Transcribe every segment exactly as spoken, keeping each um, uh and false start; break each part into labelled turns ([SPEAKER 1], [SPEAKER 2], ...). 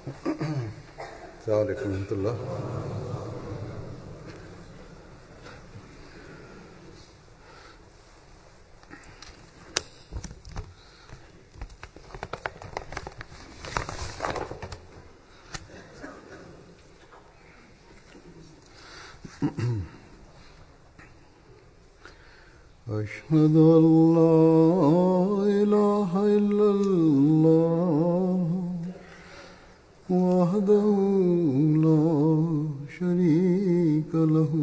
[SPEAKER 1] السلام علیکم ورحمۃ اللہ۔ أشهد أن لا إله إلا الله وحده لا شريك له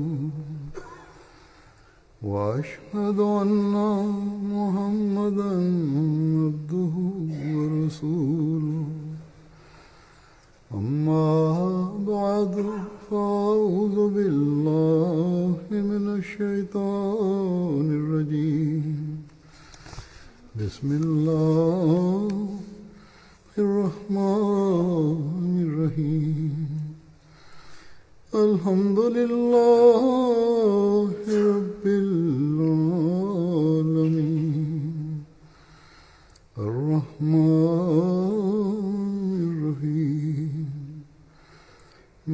[SPEAKER 1] وأشهد أن محمدا عبده ورسوله أما بعد فأعوذ بالله من الشيطان الرجيم بسم الله الرحمن الرحيم الحمد لله رب العالمين الرحمن الرحيم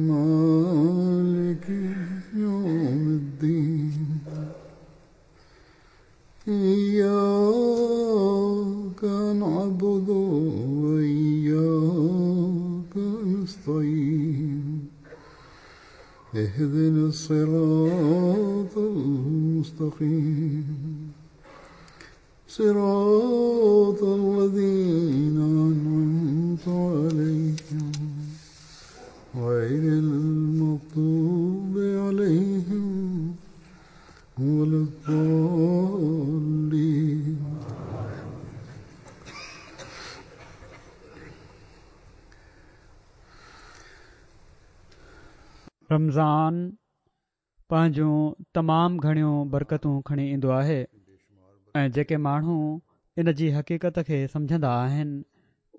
[SPEAKER 1] مالك يوم الدين إياك نعبد وإياك نستعين اهدنا الصراط المستقيم صراط الذين أنعمت عليهم غير المغضوب عليهم ولا الضالين.
[SPEAKER 2] رمضان پنهنجون تمام گهڻيون برڪتون کڻي ايندو آهي ۽ جيڪي ماڻهو ان جي حقيقت کي سمجهندا آهن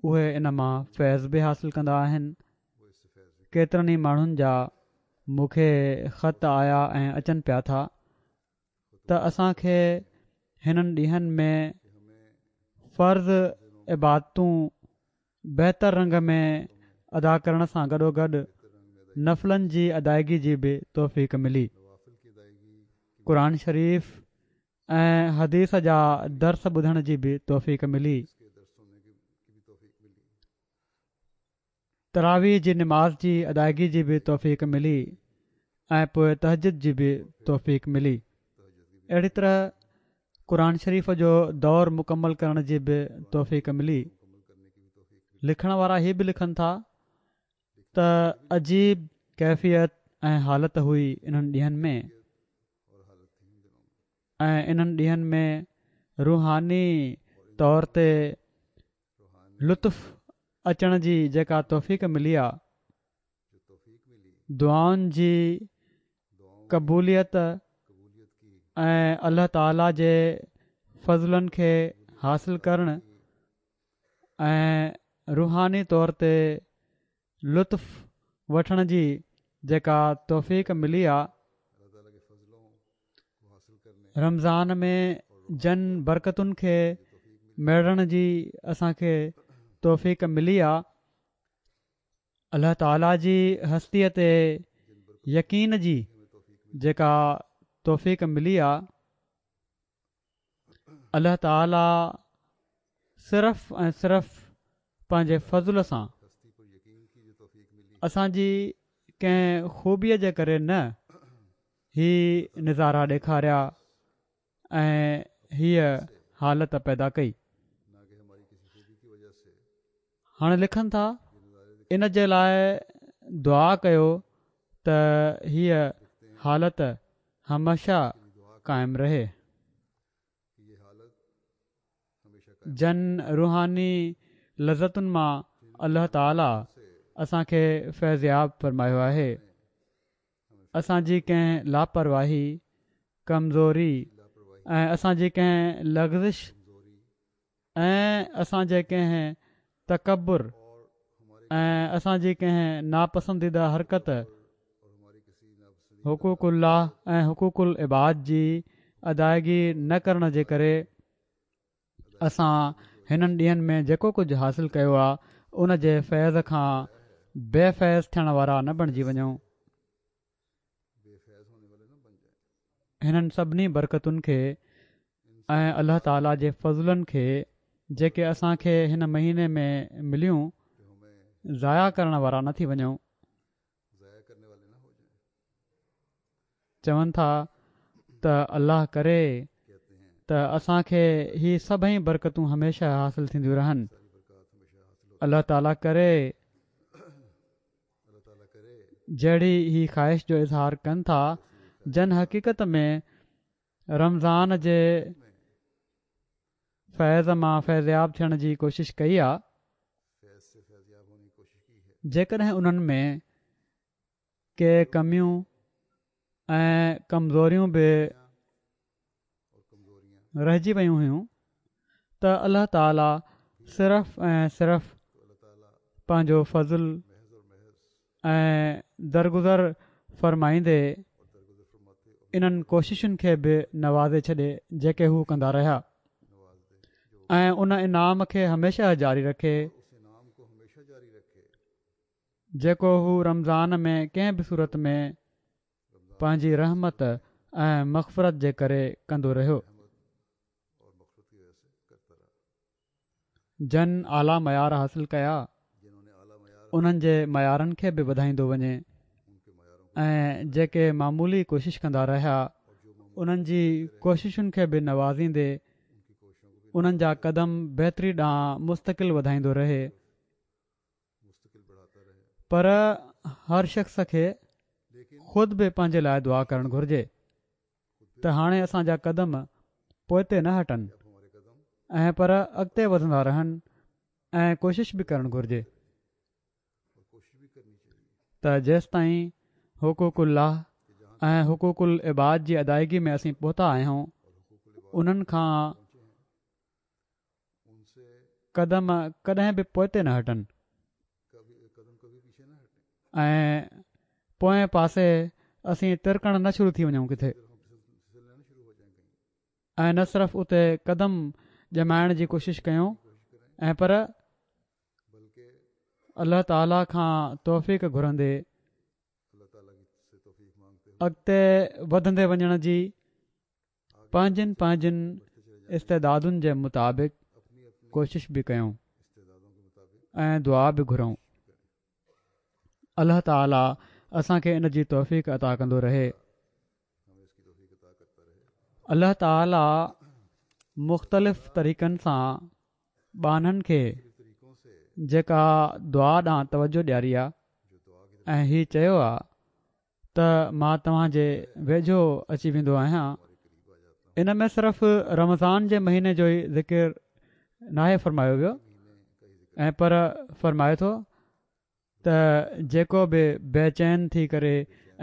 [SPEAKER 2] اهي ان مان فيض به حاصل ڪندا آهن. ڪيترن ئي ماڻهن جا مون کي خط آيا ۽ اچن پيا ٿا ته اسان کي هنن ڏينهن ۾ فرض عبادتون بهتر رنگ ۾ ادا ڪرڻ سان گڏوگڏ نفلن جي ادائگي جي به توفيق ملي. قرآن شريف ۽ حديث جا درس ٻڌڻ جي به توفيق ملي. تراويح جي نماز جي ادائگي جي به توفيق ملي ۽ پوءِ تهجد جي به توفيق ملي. اهڙي طرح قرآن شريف جو دور مڪمل ڪرڻ جي به توفيق ملي. لکڻ وارا هي به لکن ٿا ته عجيب ڪيفيت ۽ حالت هئي انهن ڏينهن ۾ ۽ انهن ڏينهن ۾ روحاني طور تي لطف اچڻ جي جيڪا توفيق ملي آ، دعائن جي قبوليت ۽ الله تعاليٰ جي فضلن کي حاصل ڪرڻ ۽ روحاني طور تي لطف وٺڻ جي جيڪا توفيق ملي آ، رمضان ۾ جن برڪتن کي ميڙڻ جي اسان کي توفيق ملي آ، الله تعاليٰ جي هستيءَ تي يقين جي جيڪا توفيق ملي آ، الله تعاليٰ صرف ۽ صرف پنهنجي فضل سان اسان جي ڪنهن خوبيءَ جي ڪري نه هي نظارا ڏيکاريا ۽ هيءَ حالت پيدا ڪئي. هاڻي لکن ٿا ان جي لاءِ دعا ڪيو ته هيءَ حالت هميشه قائم رهي. جن روحاني لذتن مان الله تعاليٰ اسان کي فيضياب فرمايو آهي، اسان جي ڪنهن لاپرواهي، ڪمزوري ۽ اسان جي ڪنهن لغزش ۽ اسان جي ڪنهن تڪبر ۽ اسان جي ڪنهن ناپسنديده حرڪت حقوق الله ۽ حقوق العباد جي ادائگي نه ڪرڻ جي ڪري اسان هنن ڏينهن ۾ جيڪو ڪجهه حاصل ڪيو آهي ان جي فيض کان بي فيض ٿيڻ وارا نه بڻجي وڃون. هنن سڀني برڪتن کي ۽ الله تعاليٰ جي فضلن کي جيڪي اسان کي هن مهيني ۾ مليون ضايع ڪرڻ وارا نه ٿي وڃون. چون ٿا ته الله ڪري ته اسان کي هي سڀئي برڪتون هميشه حاصل ٿينديون رهن. الله تعاليٰ ڪري جهڙي هي خواهش جو اظهار ڪن ٿا جن حقيقت ۾ رمضان جي فيض مان فيضياب ٿيڻ جي ڪوشش ڪئي آ، جيڪڏهن انهن ۾ ڪي ڪميون ۽ ڪمزوريون به رهجي ويون هيون ته الله تعاليٰ صرف ۽ صرف پنهنجو فضل ۽ درگذر فرمائيندي انهن ڪوششن کي به نوازي ڇڏي جيڪي هو ڪندا رهيا ۽ ان انعام کي هميشه جاري رکي جيڪو هو رمضان ۾ ڪنهن به صورت ۾ پنهنجي رحمت ۽ مغفرت جي ڪري ڪندو رهيو. جن اعليٰ معيار حاصل ڪيا انهن جي معيارن کي به وڌائيندو وڃي ۽ جيڪي معمولي ڪوشش ڪندا رهيا انهن جي ڪوششن کي به نوازيندي انهن جا قدم بهتري ڏانهن مستقل وڌائيندو رهي. پر هر شخص کي خود به پنهنجي لاءِ دعا ڪرڻ گهرجي ته هاڻي اسان جا قدم پوئتي نه هٽن ۽ پر اڳتي وڌندا رهن ۽ ڪوشش به ڪرڻ گهرجي ته جيستائين حقوق الله ۽ حقوق العباد جي ادائگي ۾ اسين پهتا آهيون انهن کان قدم ڪڏهن به پوئتي نه هٽن ۽ پوئين پاسي اسين ترڪڻ نه شروع ٿي وڃون ڪٿي ۽ نه صرف اتي قدم ڄمائڻ جي ڪوشش ڪيون ۽ پر الله تعاليٰ کان توفيق گهرندي اڳتي وڌندي وڃڻ جي پنهنجن پنهنجن استعدادن جي مطابق ڪوشش به ڪيون ۽ دعا به گهرون. الله تعاليٰ اسان کي ان جي توفيق عطا ڪندو رهي. الله تعاليٰ مختلف طريقن سان ٻانهن کي جيڪا دعا ڏانهن توجه ڏياري آ ۽ هي چيو آ ته مان توهان جي ويجهو اچي ويندو آهيان، ان ۾ صرف رمضان جي مهيني جو ئي ذڪر ناهي فرمايو ويو ۽ پر فرمائي ٿو ته جيڪو به بيچين ٿي ڪري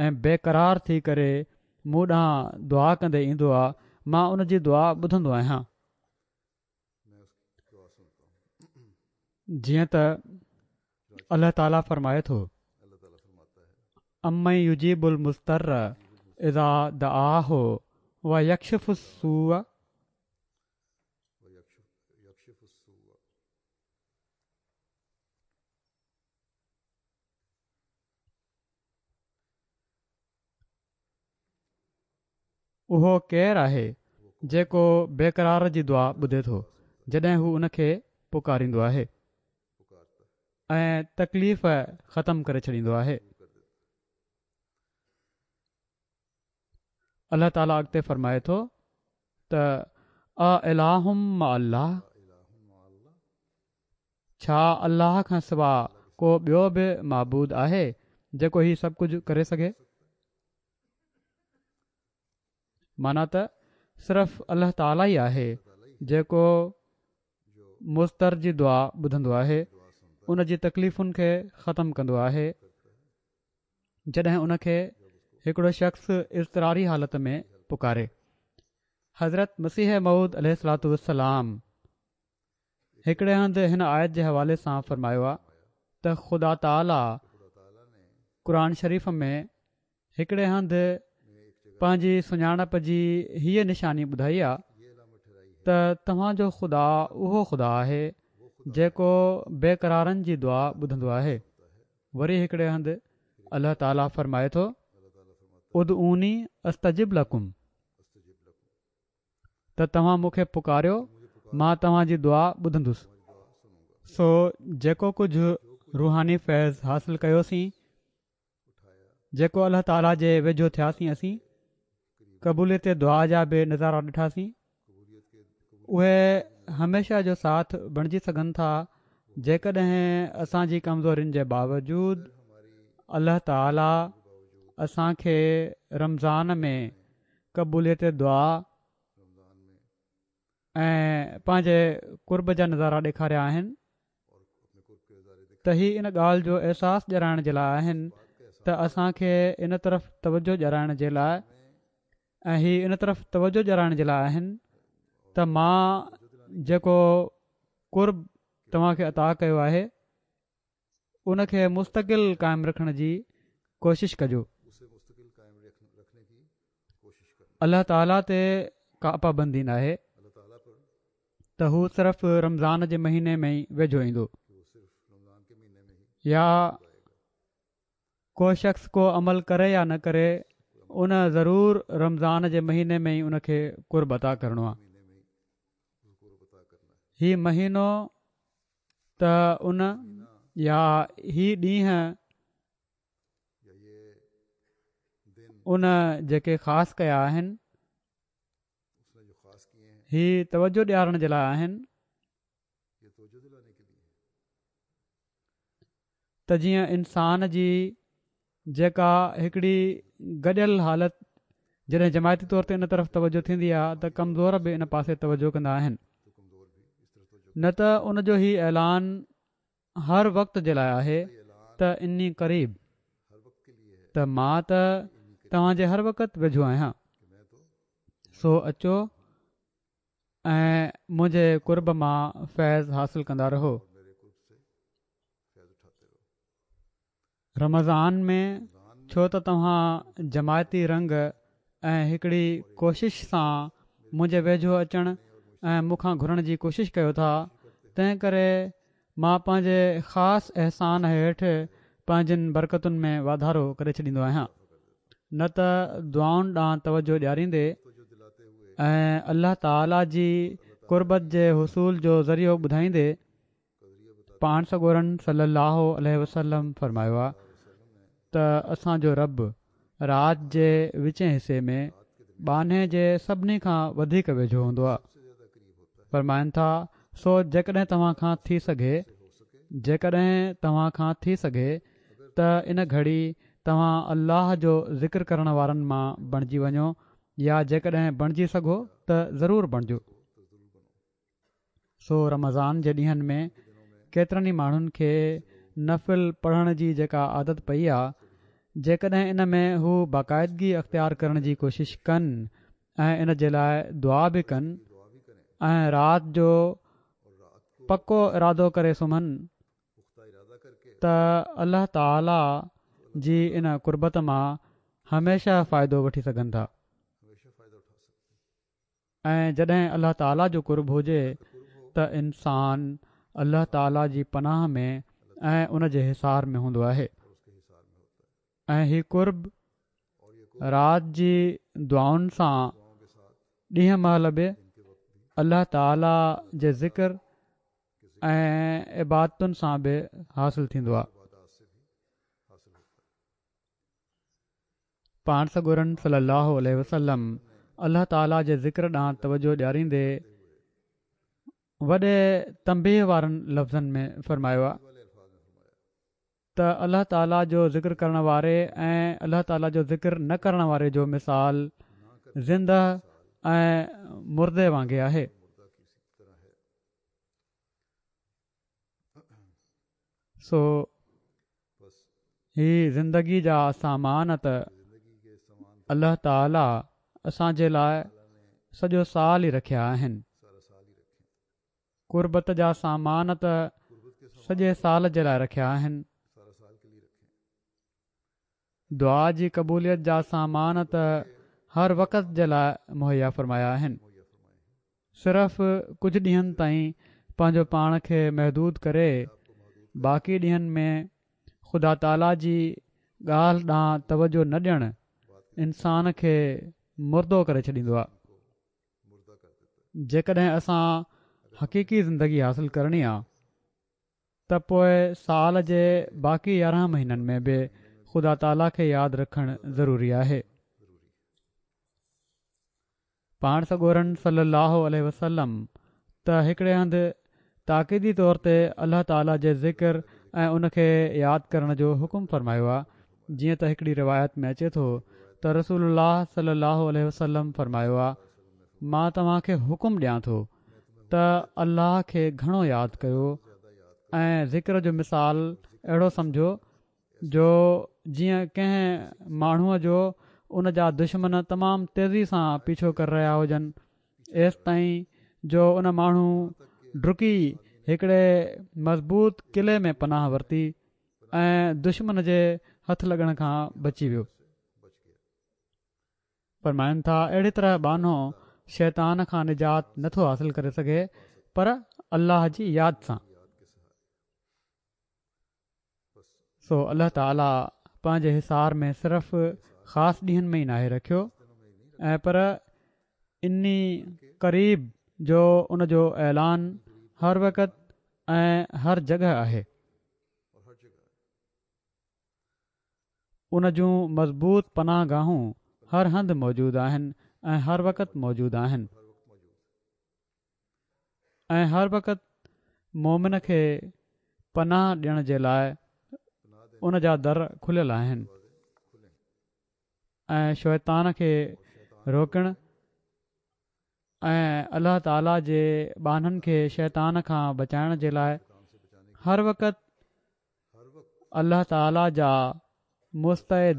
[SPEAKER 2] ۽ بيقرار ٿي ڪري مون ڏانهن دعا ڪندي ايندو آ مان ان جي دعا ٻڌندو آهيان. جيئن ته الله تعاليٰ فرمائي ٿو امن يجيب المضطر اذا دعاه ويڪشف السوء اهو ڪير آهي جيڪو بيقرار جي دعا ٻڌي ٿو جڏهن هو ان کي پڪاريندو آهي ۽ تڪليف ختم ڪري ڇڏيندو آهي. الله تعاليٰ اڳتي فرمائي ٿو ته االه مع الله ڇا الله کان سوا ڪو ٻيو به معبود آهي جيڪو هي سڀ ڪجهه ڪري سگهي؟ معنيٰ ته صرف الله تعاليٰ ئي آهي جيڪو مضطر جي دعا ٻڌندو آهي، ان جي تڪليفن کي ختم ڪندو آهي، جڏهن ان کي هڪڙو شخص اضطراري حالت ۾ پڪاري. حضرت مسيح موعود عليه الصلوة والسلام هڪڙي هنڌ هن آيت جي حوالي سان فرمايو آ ته خدا تعاليٰ قرآن شريف ۾ هڪڙي هنڌ پنهنجي سڃاڻپ جي هيء نشاني ٻڌائي آ ته توهان جو خدا اهو خدا آهي جيڪو بيقرارن جي دعا ٻڌندو آهي. وري هڪڙي هنڌ الله تعاليٰ فرمائي ٿو، ادعوني استجب لڪم، ته توهان مون کي پڪاريو مان توهان جي دعا ٻڌندس. سو جيڪو ڪجهه روحاني فيض حاصل ڪيوسين، جيڪو الله تعاليٰ جي ويجهو ٿياسين، اسين قبوليت دعا جا به نظارا ڏٺاسين، اهي هميشه جو ساٿ بڻجي سگهن ٿا جيڪڏهن اسان جي ڪمزورين جي باوجود الله تعاليٰ اسان کي رمضان ۾ قبوليت دعا ۽ پنهنجي قرب جا نظارا ڏيکاريا آهن ته هي ان ڳالهه جو احساس ڏيارائڻ جي لاء آهن ته اسان کي ان طرف توجه ڏيارائڻ جي لاء ۽ هي ان طرف توجه ڏيارائڻ جي لاء آهن ته مان جيڪو قرب توهان کي عطا ڪيو آهي ان کي مستقل قائم رکڻ جي ڪوشش ڪجو. الله تعاليٰ تي ڪا پابندي ناهي ته هو صرف رمضان جي مهيني ۾ ئي ويجهو ايندو يا ڪو شخص ڪو عمل ڪري يا نه ڪري ان ضرور رمضان جي مهيني ۾ ئي ان کي قرب عطا ڪرڻو آهي. هي مهينو ته ان يا هي ڏينهن ان جيڪي خاص ڪيا آهن هي توجه ڏيارڻ جي لاء آهن ته جيئن انسان جي جيڪا هڪڙي گڏيل حالت جڏهن جماعتي طور تي ان طرف توجه ٿيندي آهي ته ڪمزور به ان پاسي توجه ڪندا آهن نه ته ان جو هي اعلان هر وقت جي لاء آهي ته اني قريب، ته مان ته توهان جي هر وقت ويجهو آهيان، سو اچو ۽ منهنجي قرب مان فيض حاصل ڪندا رهو. رمضان ۾ ڇو ته توهان جماعتي رنگ ۽ هڪڙي ڪوشش سان منهنجي ويجهو اچڻ ۽ مون کان گهرڻ جي ڪوشش ڪيو ٿا، تنهن ڪري مان پنهنجي خاص احسان هيٺ پنهنجين برڪتن ۾ واڌارو ڪري ڇڏيندو آهيان. نه ته دعائن ڏانهن توجهه ڏياريندي ۽ الله تعالي جي قربت جي حصول جو ذريعو ٻڌائيندي پاڻ سڳورن صلّي اللّٰه عليه وسلّم فرمايو آ ته اسان جو رب رات جي وچين حصي ۾ ٻانهي جي سڀني کان وڌيڪ ويجهو هوندو آ. فرمائن ٿا، سو جيڪڏهن توهان کان ٿي سگهي، جيڪڏهن توهان کان ٿي سگهي ته ان گهڙي توهان الله جو ذڪر ڪرڻ وارن مان بڻجي وڃو يا جيڪڏهن بڻجي سگهو ته ضرور بڻجو. سو رمضان جي ڏينهن ۾ ڪيترن ئي ماڻهن کي نفل پڙهڻ جي جيڪا عادت پئي آ، جيڪڏهن ان ۾ هو باقاعدگي اختيار ڪرڻ جي ڪوشش ڪن ۽ ان جي لاء دعا به ڪن ۽ رات جو پڪو ارادو ڪري سمهن ته الله تعالي جي ان قربت مان هميشه فائدو وٺي سگهن ٿا. ۽ جڏهن الله تعاليٰ جو قرب هجي ته انسان الله تعاليٰ جي پناهه ۾ ۽ ان جي حصار ۾ هوندو آهي ۽ هي قرب رات جي دعائن سان ڏينهن مهل به الله تعاليٰ جي ذڪر ۽ عبادتن سان به حاصل ٿيندو آهي. پاڻ سڳورن صلي الله عليه وسلم الله تعالي جي ذڪر ڏانهن توجهه ڏياريندي وڏي تنبيهه وارن لفظن ۾ فرمايو آهي ته الله تعالي جو ذڪر ڪرڻ واري ۽ الله تعالي جو ذڪر نه ڪرڻ واري جو مثال زنده ۽ مردي وانگي آهي. سو هي زندگي جا سامان ته الله تعالي اسان جي لاء سڄو سال ئي رکيا آهن. قربت جا سامان ته سڄي سال جي لاء رکيا آهن. دعا جي قبوليت جا سامان ته هر وقت جي لاء مهيا فرمايا آهن. صرف ڪجهه ڏينهن تائين پنهنجو پاڻ کي محدود ڪري باقي ڏينهن ۾ خدا تعاليٰ جي ڳالهه ڏانهن توجه نه ڏيڻ انسان کي مردو ڪري ڇڏيندو آهي. جيڪڏهن اسان حقيقي زندگي حاصل ڪرڻي آهي ته پوء سال جي باقي يارهن مهينن ۾ به خدا تعاليٰ کي ياد رکڻ ضروري آهي. پاڻ سڳورن صلي الله عليه وسلم ته هڪڙي هنڌ تاڪيدي طور تي الله تعاليٰ جي ذڪر ۽ ان کي ياد ڪرڻ جو حڪم فرمايو آهي. جيئن ته هڪڙي روايت ۾ اچي ٿو ته رسول الله صلي الله عليه وسلم فرمايو آهي، مان توهان کي حڪم ڏيان ٿو ته الله کي گهڻو ياد ڪيو ۽ ذڪر جو مثال اهڙو سمجهو جو جيئن ڪنهن ماڻهوءَ جو ان جا دشمن تمام تيزي سان پيڇو ڪري رهيا هجن، ايستائين جو ان ماڻهو ڊڪي هڪڙي مضبوط قلعي ۾ پناهه ورتي ۽ دشمن جي هٿ لڳڻ کان بچي ويو. فرمائن ٿا، اهڙي طرح ٻانهو شيطان کان نجات نٿو حاصل ڪري سگهي پر الله جي ياد سان. سو الله تعاليٰ پنهنجي حصار ۾ صرف خاص ڏينهن ۾ ئي ناهي رکيو ۽ پر اني قريب جو ان جو اعلان هر وقت ۽ هر جڳهه آهي. ان جون مضبوط پناهه گاهون هر هنڌ موجود آهن ۽ هر وقت موجود آهن ۽ هر وقت مومن کي پناهه ڏيڻ جي لاءِ ان جا در کليل آهن ۽ شيطان کي روڪڻ ۽ الله تعاليٰ جي ٻانهن کي شيطان کان بچائڻ جي لاءِ هر وقت الله تعاليٰ جا مستعد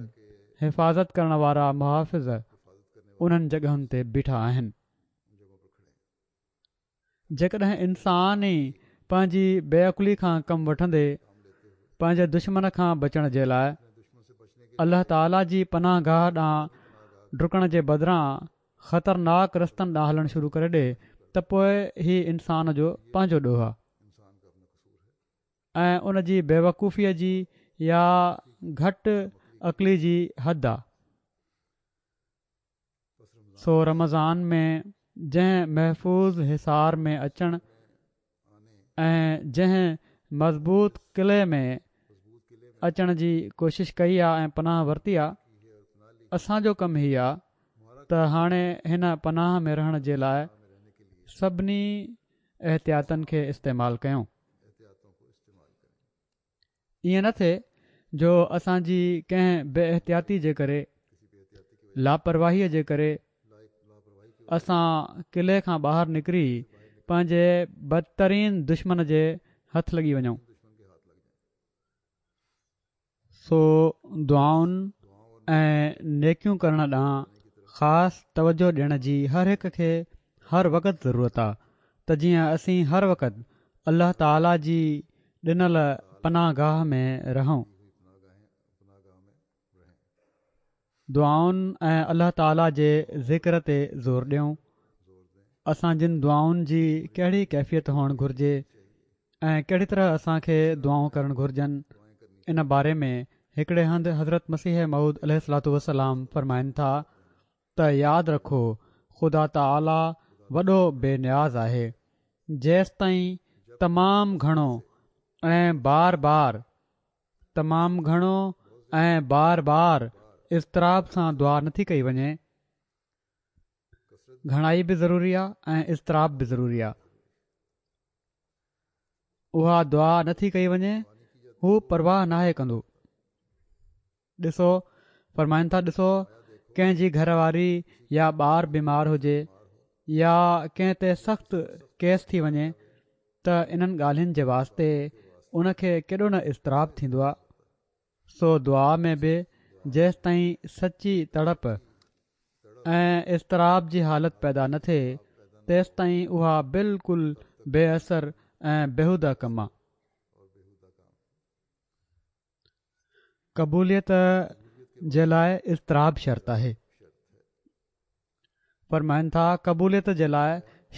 [SPEAKER 2] حفاظت ڪرڻ وارا محافظ انهن جڳهن تي بيٺا آهن. جيڪڏهن انسان ئي پنهنجي بي عقلي کان ڪم وٺندي پنهنجي دشمن کان بچڻ جي لاءِ الله تعاليٰ جي پناهه گاهه ڏانهن ڊڪڻ جي بدران خطرناڪ رستن ڏانهن هلڻ شروع ڪري ڏي ته پوءِ هي انسان جو پنهنجو ڏوهه آهي ۽ ان جي بيوقوفيءَ جي يا گهٽ عقلي جي حد آهي. سو رمضان ۾ جنهن محفوظ حصار ۾ اچڻ ۽ جنهن مضبوط قلعي ۾ اچڻ جي ڪوشش ڪئي آهي ۽ پناهه ورتي آهي، اسان جو ڪم هي آهي ته هاڻي هن پناهه ۾ رهڻ جي لاءِ سڀني احتياطن کي استعمال ڪيون. ائين نه ٿئي جو اسان جي ڪنهن بي احتياطي جي ڪري، لاپرواهيءَ جي ڪري اسان قلعي کان ٻاهر نڪري پنهنجي بدترين دشمن جي هٿ لڳي وڃون. سو دعائن ۽ نيڪيون ڪرڻ ڏانهن خاص توجه ڏيڻ جي هر هڪ کي هر وقت ضرورت آهي ته جيئن اسين هر وقت الله تعاليٰ جي ڏنل پناهه گاهه ۾ رهون. دعائن ۽ الله تعاليٰ جي ذڪر تي زور ڏيون. اسان جن دعائن جي ڪهڙي ڪيفيت هئڻ گهرجي ۽ ڪهڙي طرح اسان کي دعائون ڪرڻ گهرجن، ان باري ۾ هڪڙي هنڌ حضرت مسيح موعود عليه الصلوة والسلام فرمائن ٿا ته ياد رکو، خدا تعاليٰ وڏو بي نياز آهي، جيستائين تمام گهڻو ۽ بار بار تمام گهڻو ۽ بار بار اضطراب سان دعا نٿي ڪئي وڃي. گهڻائي به ضروري آهي ۽ اضطراب به ضروري آهي. اها دعا نٿي ڪئي وڃي، هو پرواهه ناهي ڪندو. ڏسو، فرمائن ٿا، ڏسو ڪنهن جي گهر واري يا ٻار بيمار هجي يا ڪنهن تي سخت ڪيس ٿي وڃي ته انهن ڳالهين جي واسطي ان کي ڪيڏو نه اضطراب ٿيندو آهي. سو دعا ۾ به جيستائين سچي تڙپ ۽ اضطراب جي حالت پيدا نه ٿئي تيستائين اها بلڪل بي اثر ۽ بيهوده ڪم آهي. قبوليت جي لاءِ اضطراب شرط آهي. فرمائن ٿا، قبوليت جي لاءِ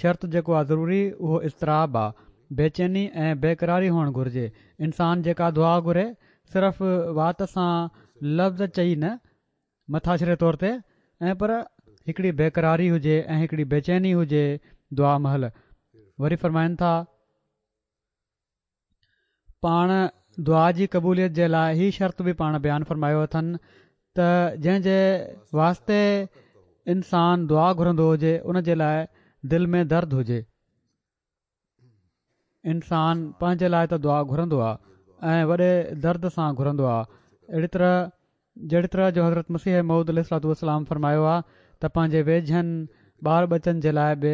[SPEAKER 2] شرط جيڪو آهي ضروري اهو اضطراب آهي، بيچيني ۽ بيقراري هئڻ گهرجي. انسان جيڪا دعا گهري صرف وات سان لفظ چئي نه مٿاڇري طور تي ۽ پر هڪڙي بيقراري هجي ۽ هڪڙي بيچيني هجي دعا مهل. وري فرمائن ٿا پاڻ دعا جي قبوليت جي لاءِ هي شرط به پاڻ بيان فرمايو اٿن ته جنهن جي واسطي انسان دعا گهرندو هجي ان جي لاءِ دل ۾ درد هجي. انسان پنهنجي لاءِ ته دعا گهرندو آهي ۽ وڏي درد سان گهرندو آهي. اهڙي طرح جهڙي طرح جو حضرت مسيح موعود عليه الصلوة والسلام فرمايو آهي ته پنهنجي ويجهن ٻار ٻچن جي لاءِ به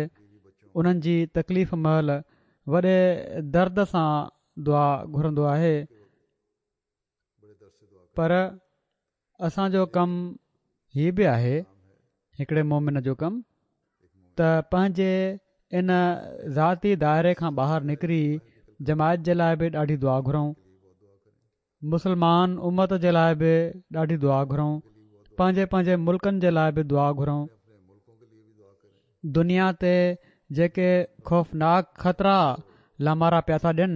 [SPEAKER 2] انهن جي تڪليف مهل وڏي درد سان دعا گهرندو آهي. پر اسان جو ڪم هي به آهي، هڪڙي مومن جو ڪم، ته پنهنجي ان ذاتي دائري کان ٻاهر نڪري جماعت جي لاءِ به ڏاڍي دعا گهرون، مسلمان امت جي لاءِ به ڏاڍي دعا گهرون، پنهنجي پنهنجي ملڪن جي لاءِ به دعا گهرون. دنيا تي جيڪي خوفناڪ خطرا لامارا پيا ٿا ڏين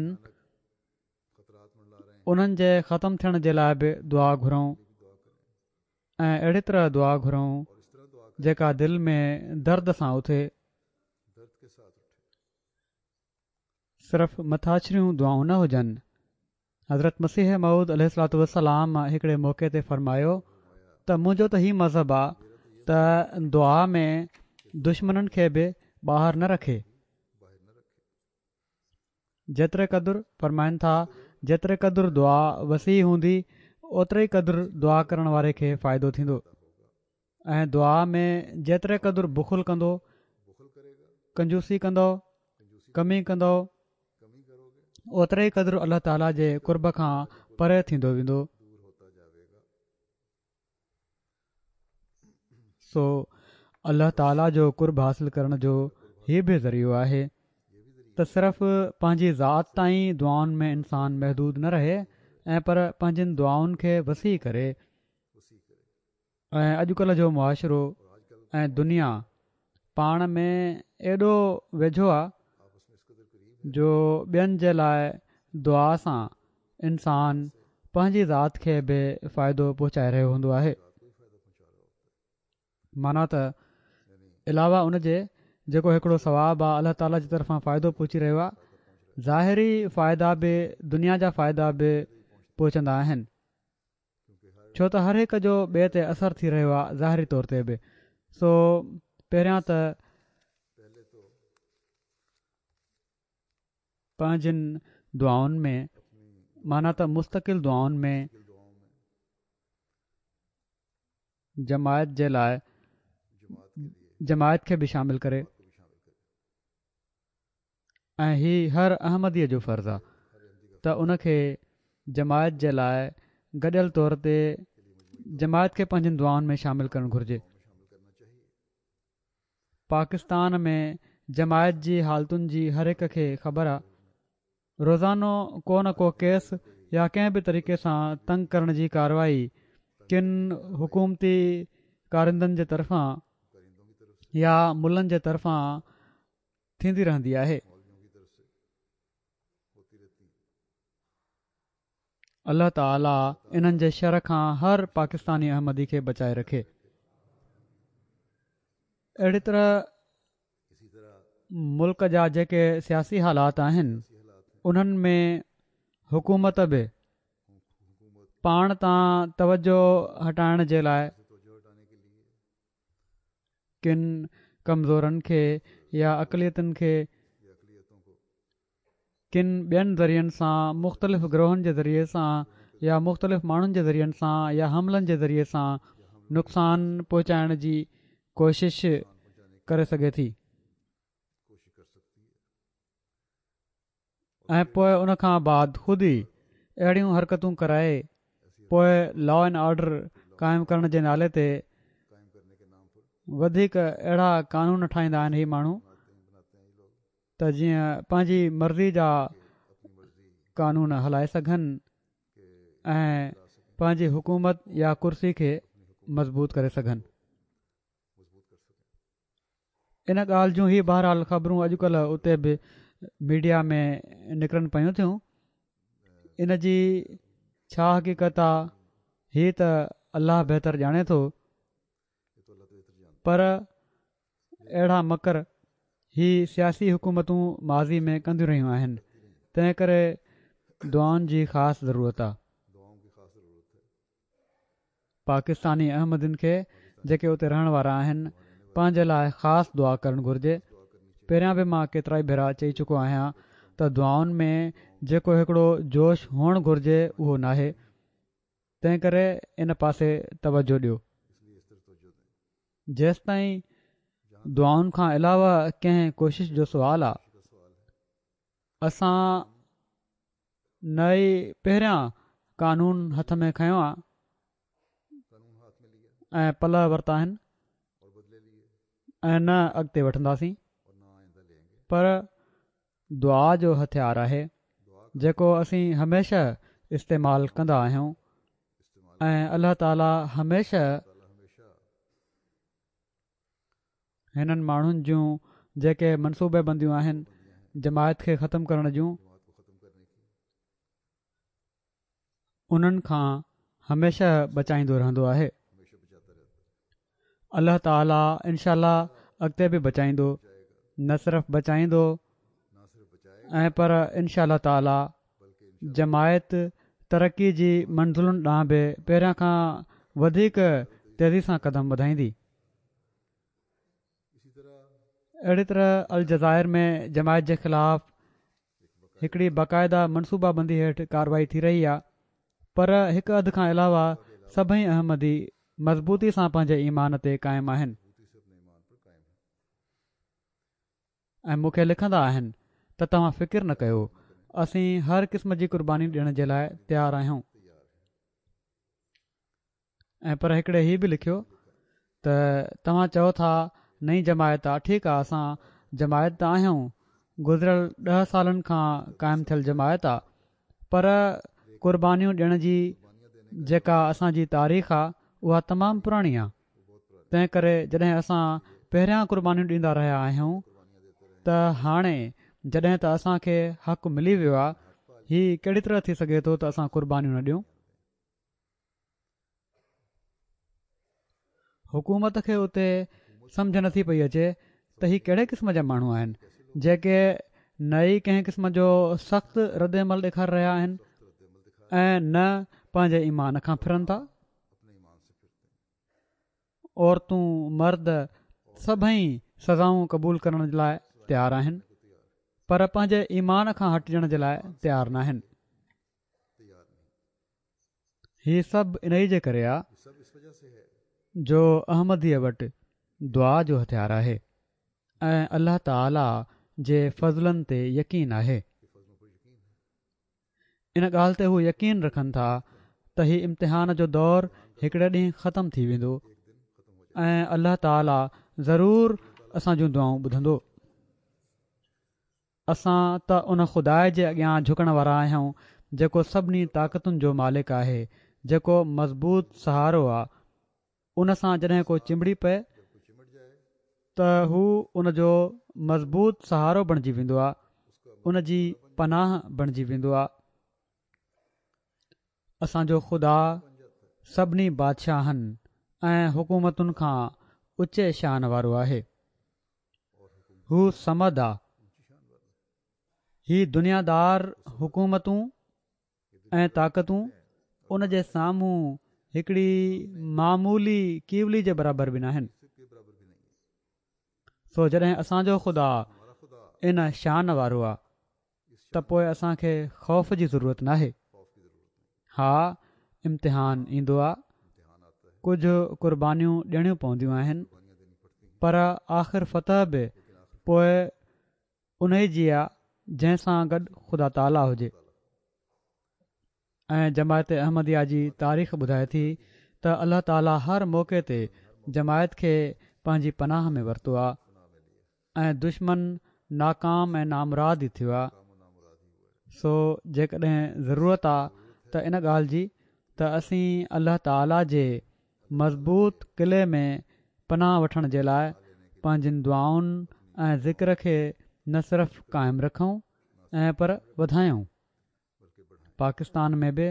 [SPEAKER 2] انهن جي ختم ٿيڻ جي لاءِ به دعا گهرون ۽ اهڙي طرح دعا گهرون جيڪا دل ۾ درد سان اٿي. صرف مٿاڇريون دعائون نه هجن. حضرت مسيح موعود عليه الصلوة والسلام هڪڙي موقعي تي فرمايو ته منهنجو ته هي مذهب آ ته دعا ۾ دشمنن کي به ٻاهر نه رکي. جيتري قدر فرمائن ٿا جيتري قدر دعا وسيع هوندي اوتري قدر دعا ڪرڻ واري کي فائدو ٿيندو ۽ دعا ۾ جيتري قدر بخل ڪندو، ڪنجوسي ڪندو، ڪمي ڪندو، اوتري قدر الله تعاليٰ جي قرب کان پري ٿيندو ويندو. سو الله تعاليٰ جو قرب حاصل ڪرڻ جو هي به ذريعو آهي ته صرف پنهنجي ذات تائين دعائن ۾ انسان محدود نه رهي ۽ پر پنهنجن دعائن کي وسيع ڪري. ۽ اڄڪلهه جو معاشرو ۽ دنيا پاڻ ۾ ايڏو ويجهو آهي جو ٻين جي لاءِ دعا سان انسان پنهنجي ذات کي به فائدو پهچائي رهيو هوندو آهي. معنيٰ ته علاوه ان جي جيڪو هڪڙو ثواب آهي الله تعاليٰ جي طرفان فائدو پهچي رهيو آهي، ظاهري فائدا به دنيا جا فائدا به پهچندا آهن، ڇو ته هر هڪ جو ٻئي تي اثر ٿي رهيو آهي ظاهري طور تي به. سو پهريان ته پنهنجن دعائن ۾ معنيٰ ته مستقل دعائن ۾ جماعت جي لاءِ جماعت کي به شامل ڪري ۽ هي هر احمديءَ جو فرض آهي ته ان کي جماعت جي لاءِ گڏيل طور تي جماعت کي پنهنجن دعائن ۾ شامل ڪرڻ گهرجي. پاڪستان ۾ جماعت جي حالتن جي هر هڪ کي خبر آهي. روزانو ڪو نه ڪو ڪيس يا ڪنهن به طريقي سان تنگ ڪرڻ جي ڪارروائي ڪن حڪومتي ڪارندن جي طرفان يا ملن جي طرفان ٿيندي رهندي آهي. الله تعاليٰ انهن جي شر کان هر پاڪستاني احمدي کي بچائي رکي. اهڙي طرح ملڪ جا جيڪي سياسي حالات آهن انهن ۾ حڪومت به پاڻ تان توجه هٽائڻ جي لاءِ ڪن ڪمزورن کي يا اقليتن کي ڪن ٻين ذريعن سان مختلف گروهن جي ذريعي سان يا مختلف ماڻهن جي ذريعن سان يا حملن جي ذريعي سان نقصان پهچائڻ جي ڪوشش ڪري سگهي ٿي ۽ پوءِ ان کان بعد خود ئي اهڙيون حرڪتون ڪرائي پوءِ لا اينڊ آرڊر قائم ڪرڻ جي نالي تي وڌيڪ اهڙا قانون ٺاهيندا آهن هي ماڻهو ته جيئن پنهنجي مرضي جا قانون هلائي سگهن ۽ پنهنجي حڪومت يا ڪرسي کي مضبوط ڪري سگهن. ان ڳالهه جون هي بهرحال خبرون اڄڪلهه اتي به ميڊيا ۾ نڪرن پيون ٿيون. ان جي ڇا حقيقت آ هي ته الله بهتر ڄاڻي ٿو، پر اهڙا مڪر هي سياسي حڪومتون ماضي ۾ ڪنديون رهيون آهن، تنهن ڪري دعائن جي خاص ضرورت آ. پاڪستاني احمدين کي جيڪي اتي رهڻ وارا آهن پنهنجي لاء خاص دعا ڪرڻ گهرجي. پهريان به مان ڪيترائي ڀيرا چئي چڪو آهيان ته دعائن ۾ جيڪو هڪڙو جوش هئڻ گهرجي اهو ناهي، تنهن ڪري ان پاسي توجه ڏيو. جيستائين دعائن کان علاوه ڪنهن ڪوشش جو سوال آ، اسان نه ئي پهريان قانون هٿ ۾ کنيو آ ۽ پلئه ورتا آهن ۽ نه اڳتي وٺنداسين، پر دعا جو هٿيار آهي جيڪو اسين هميشه استعمال ڪندا آهيون ۽ الله تعالي هميشه هنن ماڻهن جون جيڪي منصوبه بنديون آهن جماعت کي ختم ڪرڻ جون، انهن کان هميشه بچائيندو رهندو آهي. الله تعالي انشاء الله اڳتي به بچائيندو، نه صرف بچائيندو ۽ پر انشاء الله تعالي جماعت ترقي جي منزلن ڏانهن به پهريان کان وڌيڪ تيزي سان قدم وڌائيندي. اهڙي طرح الجزائر ۾ جماعت جي خلاف هڪڙي باقاعده منصوبه بندي هيٺ ڪارروائي ٿي رهي آهي، پر هڪ اڌ کان علاوه سڀئي احمدي مضبوطي سان پنهنجي ايمان تي قائم آهن ۽ مون کي لکندا آهن ته توهان فڪر نه ڪيو، اسين هر قسم جي قرباني ڏيڻ جي لاء تيار آهيون. ۽ پر هڪڙي هي به لکيو ته توهان چئو ٿا نئين جماعت آ، ٺيڪ آ اسان جماعت ته آهيون، گذريل ڏهه سالن کان قائم ٿيل جماعت آ، پر قربانيون ڏيڻ جي جيڪا اسان جي تاريخ آ اها تمام پراڻي آ، تنهن ڪري جڏهن اسان پهريان قربانيون ڏيندا رهيا آهيون ته هاڻي جڏهن ته اسان کي حق ملي ويو آ، هي ڪهڙي طرح ٿي سگهي ٿو ته اسان قربانيون نه ڏيون؟ حڪومت کي اتي سمجهه نٿي پئي اچي ته هي ڪهڙي قسم جا ماڻهو آهن جيڪي نه ئي ڪنهن قسم جو سخت رد عمل ڏيکاري رهيا آهن ۽ نه پنهنجي ايمان کان ڦرن ٿا. عورتون مرد سڀئي سزائون قبول ڪرڻ جي لاء تيار آهن پر پنهنجي ايمان کان هٽجڻ جي لاء تيار ناهن. هي سڀ انهي جي ڪري آ جو احمديء وٽ دعا جو هٿيار آهي ۽ الله تعالي جي فضلن تي يقين آهي. ان ڳالهه تي هو يقين رکن ٿا ته هي امتحان جو دور هڪڙي ڏينهن ختم ٿي ويندو ۽ الله تعالي ضرور اسان جون دعائون ٻڌندو. اسان ته ان خدا جي اڳيان جهڪڻ وارا آهيون جيڪو سڀني طاقتن جو مالڪ آهي، جيڪو مضبوط سهارو آ، ان سان جڏهن ڪو چنبڙي پئي ته هو ان جو مضبوط سهارو بڻجي ويندو آ، ان جي پناهه بڻجي ويندو آ. اسان جو خدا سڀني بادشاهن ۽ حڪومتن کان اوچي شان وارو آهي. هو صمد آ. هي دنيادار حڪومتون ۽ طاقتون ان جي سامهون هڪڙي معمولي ڪيولي جي برابر به ناهن. سو جڏهن اسان جو خدا ان شان وارو آ ته پوء اسان کي خوف جي ضرورت ناهي. ها امتحان ايندو آ، ڪجهه قربانيون ڏيڻيون پونديون آهن، پر آخر فتح به پوء انهي جي آ جنهن سان گڏ خدا تعاليٰ هجي. ۽ جماعت احمديه جي تاريخ ٻڌائي ٿي ته الله تعاليٰ هر موقعي تي جماعت کي پنهنجي پناهه ۾ ورتو آ ۽ دشمن ناڪام ۽ نامراد ئي ٿيو آ. سو جيڪڏهن ضرورت آ ته ان ڳالهه جي ته اسين الله تعاليٰ جي مضبوط قلعي ۾ پناهه وٺڻ جي لاء پنهنجين دعائن ۽ ذڪر کي نه صرف قائم رکون ۽ پر وڌايون. پاڪستان ۾ به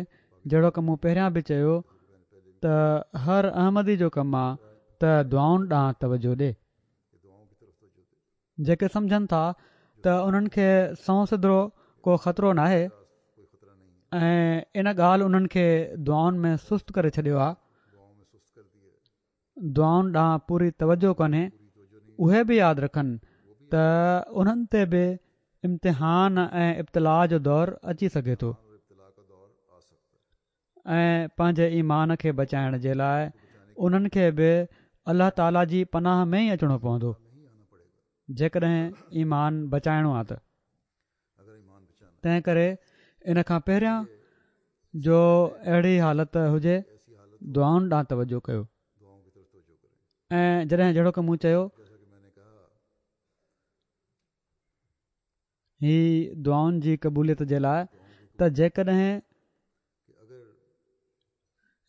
[SPEAKER 2] جهڙوڪ مون پهريان به چيو ته هر احمدي جو ڪم آ ته دعائن ڏانهن توجه ڏي. جيڪي سمجهن ٿا ته انهن کي سنئون سڌو ڪو خطرو ناهي ۽ ان ڳالهه انهن کي دعائن ۾ سست ڪري ڇڏيو آ، دعائن ڏانهن پوري توجه ڪونهي، اهي به ياد رکن ته انهن تي به امتحان ۽ ابتلاء جو دور اچي سگهي ٿو ۽ پنهنجي ايمان کي بچائڻ جي لاء انهن کي به الله تعاليٰ جي پناهه ۾ ئي اچڻو پوندو، جيڪڏهن ايمان بچائڻو آ ته. تنهن ڪري ان کان پهريان جو اهڙي حالت هجي دعائن ڏانهن توجه ڪيو ۽ جڏهن جهڙوڪ مون چيو هي دعائن جي قبوليت جي لاء ته جيڪڏهن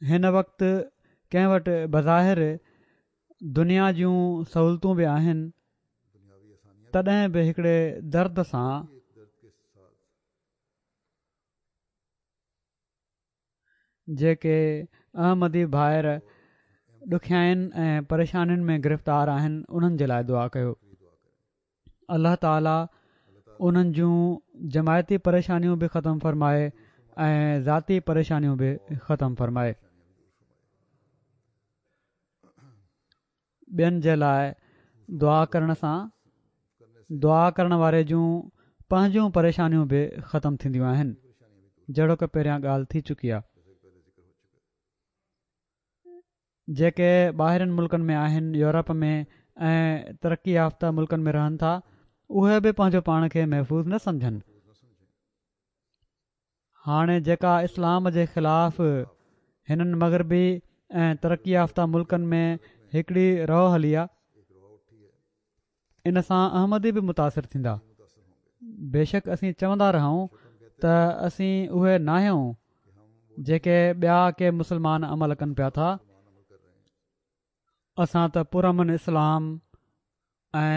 [SPEAKER 2] هن وقت ڪنهن وٽ بظاهر دنيا جون سهولتون به آهن تڏهن به هڪڙي درد سان جيڪي احمدي ڀائر ڏکيائين ۽ پريشانين ۾ گرفتار آهن انهن جي لاء دعا ڪيو. الله تعالي انهن جون جماعتي پريشانيون به ختم فرمائي ۽ ذاتي پريشانيون به ختم فرمائي. ٻين جي لاء دعا ڪرڻ سان دعا ڪرڻ واري جون پنهنجون پريشانيون به ختم ٿينديون آهن، جهڙوڪ پهريان ڳالهه ٿي چڪي آهي. جيڪي ٻاهرين ملڪن ۾ آهن، يورپ ۾ ۽ ترقي يافته ملڪن ۾ رهن ٿا، اهي به پنهنجو پاڻ کي محفوظ نه سمجهن. هاڻي جيڪا اسلام جي خلاف هنن مغربي ۽ ترقي يافته ملڪن ۾ هڪڙي رو هلي آ، ان سان احمدي به متاثر ٿيندا. بيشڪ اسين چوندا رهون ته اسين اهي ناهيون جيڪي ٻيا ڪي مسلمان عمل ڪن پيا ٿا، اسان ته پرامن اسلام ۽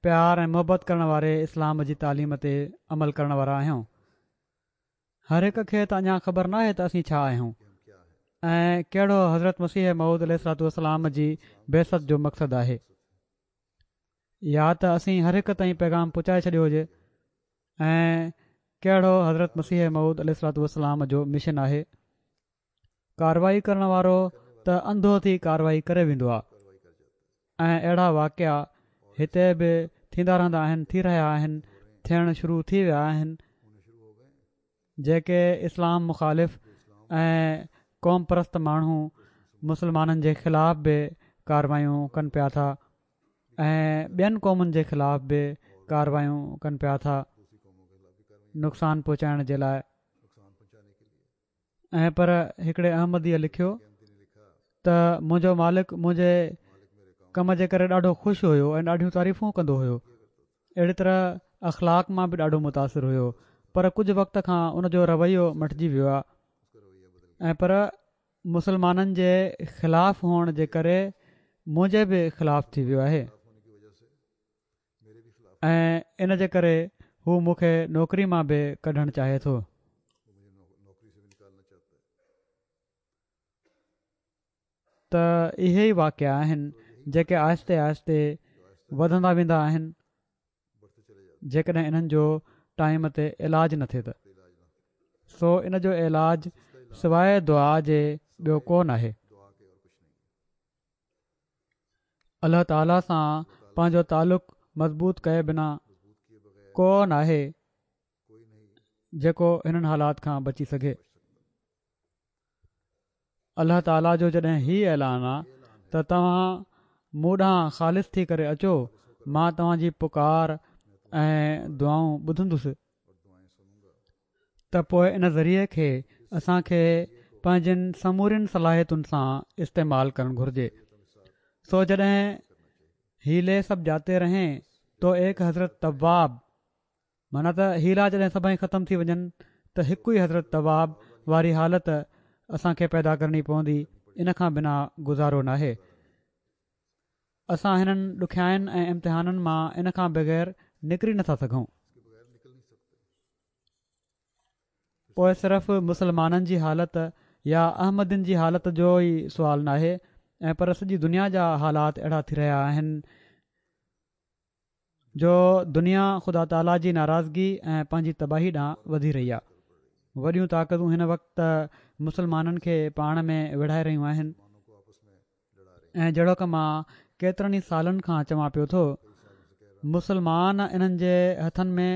[SPEAKER 2] پيار ۽ محبت ڪرڻ واري اسلام جي تعليم تي عمل ڪرڻ وارا آهيون. هر هڪ کي ته اڃا خبر ناهي ته اسين ڇا آهيون ۽ ڪهڙو حضرت مسيح موعود عليه الصلوة والسلام جي بعثت جو مقصد آهي. يا ته اسين هر هڪ تائين پيغام پهچائي ڇڏيو هجي ۽ ڪهڙو حضرت مسيح موعود عليه الصلوة والسلام جو مشن آهي. ڪارروائي ڪرڻ وارو ته انڌو ٿي ڪارروائي ڪري ويندو آهي ۽ اهڙا واقعا هتي به ٿيندا رهندا آهن، ٿي رهيا آهن، ٿيڻ شروع ٿي ويا آهن، جيڪي اسلام مخالف ۽ قوم پرست ماڻهو مسلمانن جي خلاف به ڪارروايون ڪن پيا ٿا ۽ ٻين قومن جي خلاف به ڪارروايون ڪن پيا ٿا نقصان پهچائڻ جي لاء. ۽ پر هڪڙي احمديء لکيو ته منهنجو مالڪ منهنجي ڪم جي ڪري ڏاڍو خوش هيو ۽ ڏاڍيون تعريفون ڪندو هيو. اهڙي طرح اخلاق مان به ڏاڍو متاثر هيو، پر ڪجهه وقت کان ان جو رويو مٽجي ويو آهي ۽ پر مسلمانن جي خلاف هئڻ جي ڪري منهنجي به خلاف ٿي ويو آهي ۽ ان جي ڪري هو مون کي نوڪري مان به ڪڍڻ چاهي ٿو. ته اهي ئي واقعا آهن جيڪي آهستي آهستي وڌندا ويندا آهن جيڪڏهن انهن جو ٽائيم تي علاج نه ٿئي ته. سو ان جو علاج سواء دعا جي ٻيو ڪو ناهي. الله تعالي سان پنهنجو تعلق مضبوط ڪئي بنا ڪو ناهي جيڪو هنن حالات کان بچي سگهي. الله تعاليٰ جو جڏهن هي اعلان آ ته توهان مون ڏانهن خالص ٿي ڪري اچو، مان توهان جي پڪار ۽ دعائون ٻڌندس، ته پوء ان ذريعي کي اسان کي پنهنجين سمورين صلاحيتن سان استعمال ڪرڻ گهرجي. سو جڏهن حيلي سب جاتي رهين تو ايڪ حضرت تواب معنيٰ ته حيلا جڏهن سڀئي ختم ٿي وڃن ته هڪ ئي حضرت تواب واري حالت اسان کي پيدا ڪرڻي پوندي، ان کان بنا گذارو ناهي. اسان هنن ڏکيائين ۽ امتحانن مان ان کان بغير نڪري نٿا سگهون. پوءِ صرف مسلمانن جي حالت يا احمدين جي حالت جو ئي سوال ناهي ۽ پر سڄي دنيا جا حالات اهڙا ٿي رهيا آهن جو دنيا خدا تعاليٰ جي ناراضگي ۽ پنهنجي تباهي ڏانهن وڌي رهي آهي. وڏيون طاقتون هن وقت مسلمانن کي پاڻ ۾ وڙهائي رهيون آهن ۽ جهڙوڪ مان ڪيترن ئي سالن کان چوان پيو ٿو، مسلمان انهن جي هٿن ۾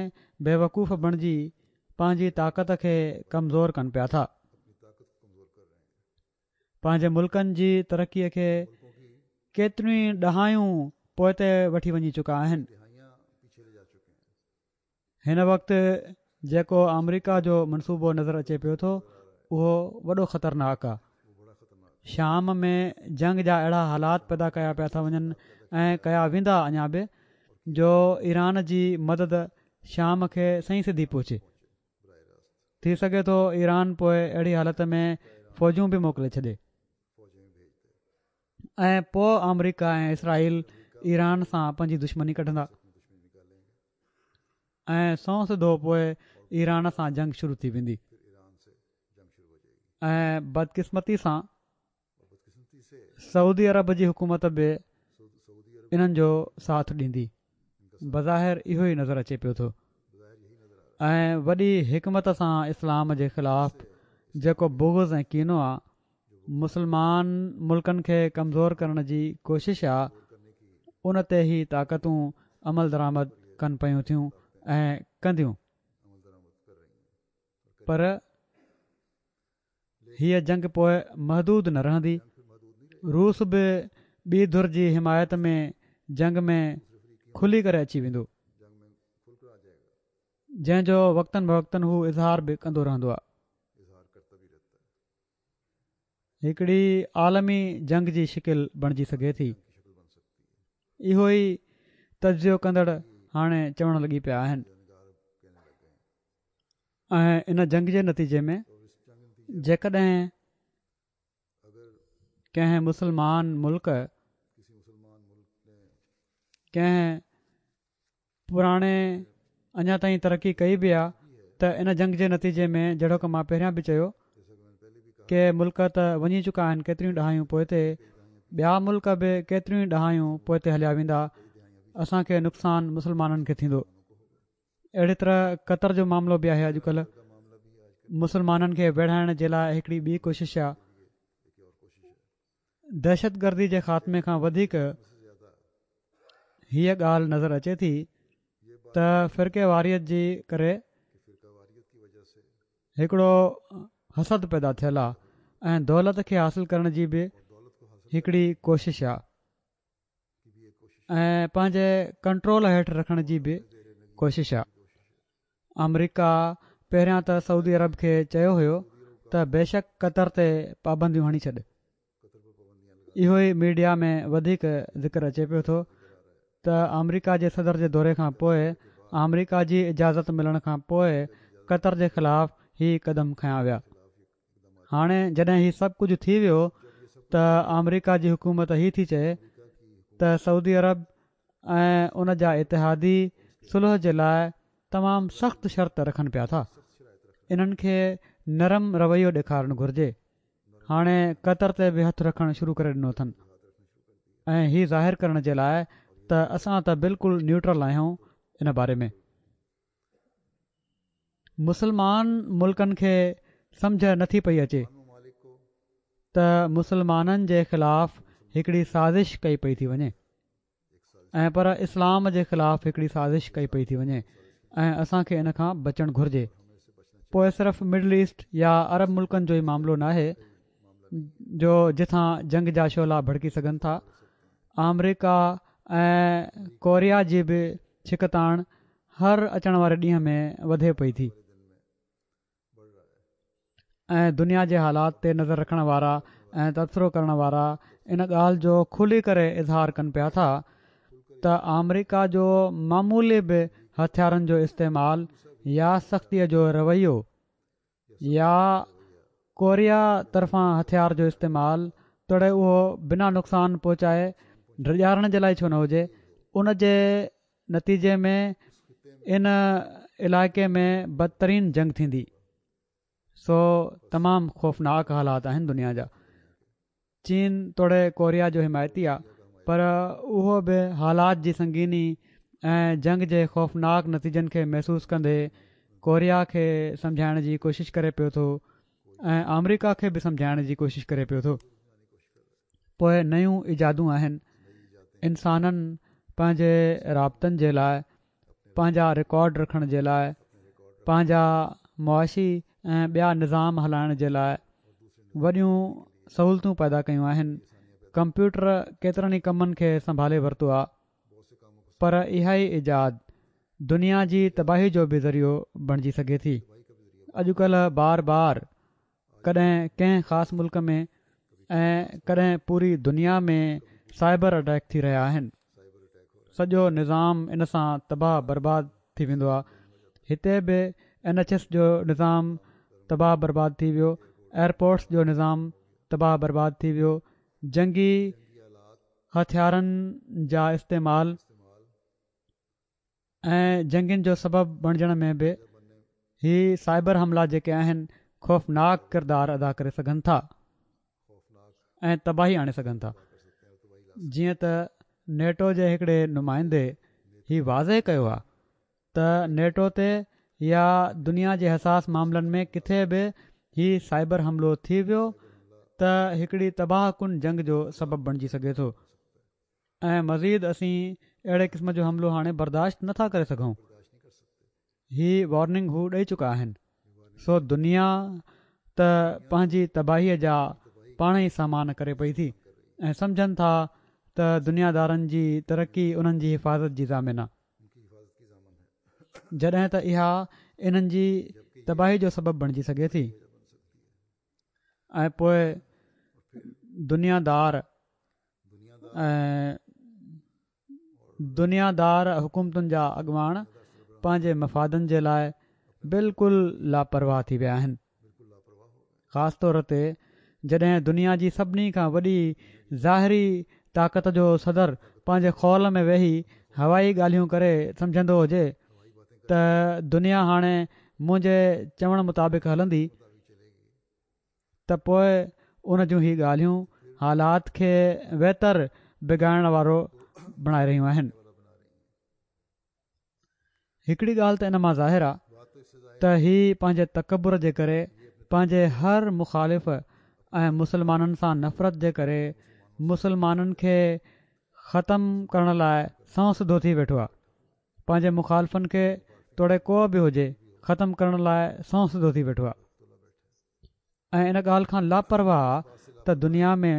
[SPEAKER 2] بيوقوف بڻجي پنهنجي طاقت کي ڪمزور ڪن پيا ٿا. پنهنجي ملڪن جي ترقي کي ڪيتريون ئي ڏهايون پوئتي وٺي وڃي چڪا آهن. هن وقت جيڪو آمريڪا جو منصوبو نظر اچي پيو ٿو اهو وڏو خطرناڪ آ. شام ۾ جنگ جا اهڙا حالات پيدا ڪيا پيا ٿا وڃن ۽ ڪيا ويندا اڃا به جو ايران جي مدد شام کي سنئين سڌي پهچي. ٿي سگهي ٿو ايران پوء اهڙي حالت ۾ فوجون به موڪلي ڇڏي ۽ پوء آمريڪا ۽ اسرائيل ايران سان پنهنجي دشمني ڪڍندا ۽ سنئون سڌو پوء ايران سان جنگ شروع ٿي ويندي ۽ بدقسمتي سان سعودي عرب جي حڪومت به انهن جو ساٿ ڏيندي. بظاهر اهو ئي نظر اچي پيو ٿو ۽ وڏي حڪمت سان اسلام جي خلاف جيڪو بغض ۽ ڪينو آ، مسلمان ملڪن کي ڪمزور ڪرڻ جي ڪوشش آ، ان تي هي طاقتون عملدرآمد ڪن پيون ٿيون ۽ ڪنديون پر هيء جنگ پوء محدود نه رهندي، روس به ٻي ڌر جي حمايت ۾ جنگ ۾ کلي ڪري اچي ويندو، جنهن جو وقتن بوقتن هو اظهار به ڪندو رهندو آهي. هڪڙي عالمي جنگ جي شڪل بڻجي سگهي ٿي. اهو ئي تجزيو ڪندڙ هاڻي چوڻ لڳي پيا آهن. ۽ ان جنگ جي نتيجي ۾ جيڪڏهن ڪنهن مسلمان ملڪ ڪنهن پراڻي اڃا تائين ترقي ڪئي به آ ته ان جنگ جي نتيجي ۾ جهڙوڪ مان پهريان به چيو ڪي ملڪ ته وڃي چڪا آهن ڪيتريون ڏهايون پوئتي ٻيا ملڪ به ڪيتريون ڏهايون پوئتي هليا ويندا اسان کي نقصان مسلمانن کي ٿيندو اهڙي طرح قطر جو معاملو به آهي اڄڪلهه مسلمانن کي ويڙهائڻ جي لاء هڪڙي ٻي ڪوشش آ دهشتگردي جي خاتمي کان وڌيڪ هيء ڳالهه نظر اچي ٿي ته فرقي واريت جي ڪري هڪڙو حسد پيدا ٿيل آ ۽ دولت کي حاصل ڪرڻ جي به هڪڙي ڪوشش آ ۽ پنهنجي ڪنٽرول هيٺ رکڻ جي به ڪوشش آ. آمريڪا پهريان ته سعودي عرب کي چيو هيو ته بيشڪ قطر تي پابنديون هڻي ڇڏ. اهو ئي ميڊيا ۾ وڌيڪ ذڪر اچي پيو ٿو ته آمريڪا جي صدر جي دوري کان پوء آمريڪا جي اجازت ملڻ کان پوء قطر جي خلاف هي قدم کنيا ويا. هاڻي جڏهن هي سڀ ڪجهه ٿي ويو ته آمريڪا جي حڪومت هي ٿي چئي ته سعودي عرب ۽ ان جا اتحادي صلح جي لاء تمام سخت شرط رکن پيا ٿا انهن کي نرم رويو ڏيکارڻ گهرجي هاڻي قطر تي به هٿ رکڻ شروع ڪري ڏنو اٿن ۽ هي ظاهر ڪرڻ جي لاء ته اسان ته بلڪل نيوٽرل آهيون ان باري ۾ مسلمان ملڪن کي سمجهه نٿي پئي اچي ته مسلمانن جي خلاف هڪڙي سازش ڪئي پئي ٿي وڃي ۽ پر اسلام جي خلاف هڪڙي سازش ڪئي پئي ٿي وڃي ۽ اسان کي ان کان بچڻ گهرجي پوء صرف مڊل ايسٽ يا عرب ملڪن جو ئي معاملو ناهي جو جتان جنگ جا شعلا ڀڙڪي سگهن ٿا آمريڪا ۽ ڪوريا جي به ڇڪتاڻ هر اچڻ واري ڏينهن ۾ وڌي پئي ٿي ۽ دنيا جي حالات تي نظر رکڻ وارا ۽ تبصرو ڪرڻ وارا ان ڳالهه جو کلي ڪري اظهار ڪن پيا ٿا ته آمريڪا جو معمولي به هٿيارن جو استعمال يا سختيء جو رويو يا ڪوريا طرفان هٿيار جو استعمال توڙي اهو بنا نقصان پهچائي ڊيڄارڻ جي لاء ڇو نه هجي ان جي نتيجي ۾ ان علائقي ۾ بدترين جنگ ٿيندي. سو تمام خوفناڪ حالات آهن دنيا جا. چين توڙي ڪوريا جو حمايتي آ پر اهو به حالات جي سنگيني ۽ جنگ جي خوفناڪ نتيجن کي محسوس ڪندي ڪوريا کي سمجهائڻ جي ڪوشش ڪري پيو ٿو ۽ آمريڪا کي به سمجهائڻ جي ڪوشش ڪري پيو ٿو. پوء نيون ايجادون آهن. انسانن پنهنجي رابطن جي لاء، پنهنجا رڪارڊ رکڻ جي لاء، پنهنجا معاشي ۽ ٻيا نظام هلائڻ جي لاء وڏيون سهولتون پيدا ڪيون آهن. ڪمپيوٽر ڪيترن ئي ڪمن کي سنڀالي ورتو آهي پر اها ئي ايجاد دنيا جي تباهي جو به ذريعو بڻجي سگهي ٿي. اڄڪلهه بار بار ڪڏهن ڪنهن خاص ملڪ ۾ ۽ ڪڏهن پوري دنيا ۾ سائبر اٽيڪ ٿي رهيا آهن. سڄو نظام ان سان تباهه برباد ٿي ويندو آهي. هتي به اين ايڇ ايس جو نظام تباهه برباد ٿي ويو، ايئرپورٽس جو نظام تباهه برباد ٿي ويو، جنگي هٿيارن جا استعمال ۽ جنگين جو سبب بڻجڻ ۾ به هي سائبر حملا جيڪي آهن خوفناڪ ڪردار ادا ڪري سگهن ٿا ۽ تباهي آڻي سگهن ٿا. جيئن ته نيٽو جي هڪڙي نمائندي هي واضح ڪيو آهي ته نيٽو تي يا دنيا جي حساس معاملن ۾ ڪٿي به هي سائبر حملو ٿي ويو ته هڪڙي تباهه ڪن جنگ جو سبب بڻجي سگهي ٿو ۽ مزيد اسين اهڙي قسم جو حملو هاڻي برداشت نٿا ڪري سگهون. هي وارننگ هو ڏئي چڪا آهن. سو دنيا ته پنهنجي تباهيء جا پاڻ ئي سامان ڪري پئي ٿي ۽ سمجهن ٿا ته دنيا دارن جي ترقي انهن جي حفاظت جي ضامن آ، جڏهن ته اها انهن جي تباهي جو سبب بڻجي سگهي ٿي. ۽ پوء دنيا دار ۽ دنيا دار حڪومتن جا اڳواڻ پنهنجي مفادن جي لاء بلڪل لاپرواهه ٿي ويا آهن. خاص طور تي جڏهن دنيا جي سڀني کان وڏي ظاهري طاقت جو صدر پنهنجي خول ۾ ويهي هوائي ڳالهيون ڪري سمجهندو هجي ته دنيا هاڻي منهنجي چوڻ مطابق هلندي ته پوء ان جون هي ڳالهيون حالات کي ويتر بگاڙڻ وارو بڻائي رهيون آهن. هڪڙي ڳالهه ته ان مان ظاهر آ ته هي پنهنجي تڪبر جي ڪري پنهنجي هر مخالف ۽ مسلمانن سان نفرت جي ڪري مسلمانن کي ختم ڪرڻ لاء سنئون سڌو ٿي ويٺو آ. پنهنجي مخالفن کي توڙي ڪو به هجي ختم ڪرڻ لاء سنئون سڌو ٿي ويٺو آ ۽ ان ڳالهه کان لاپرواهه آ ته دنيا ۾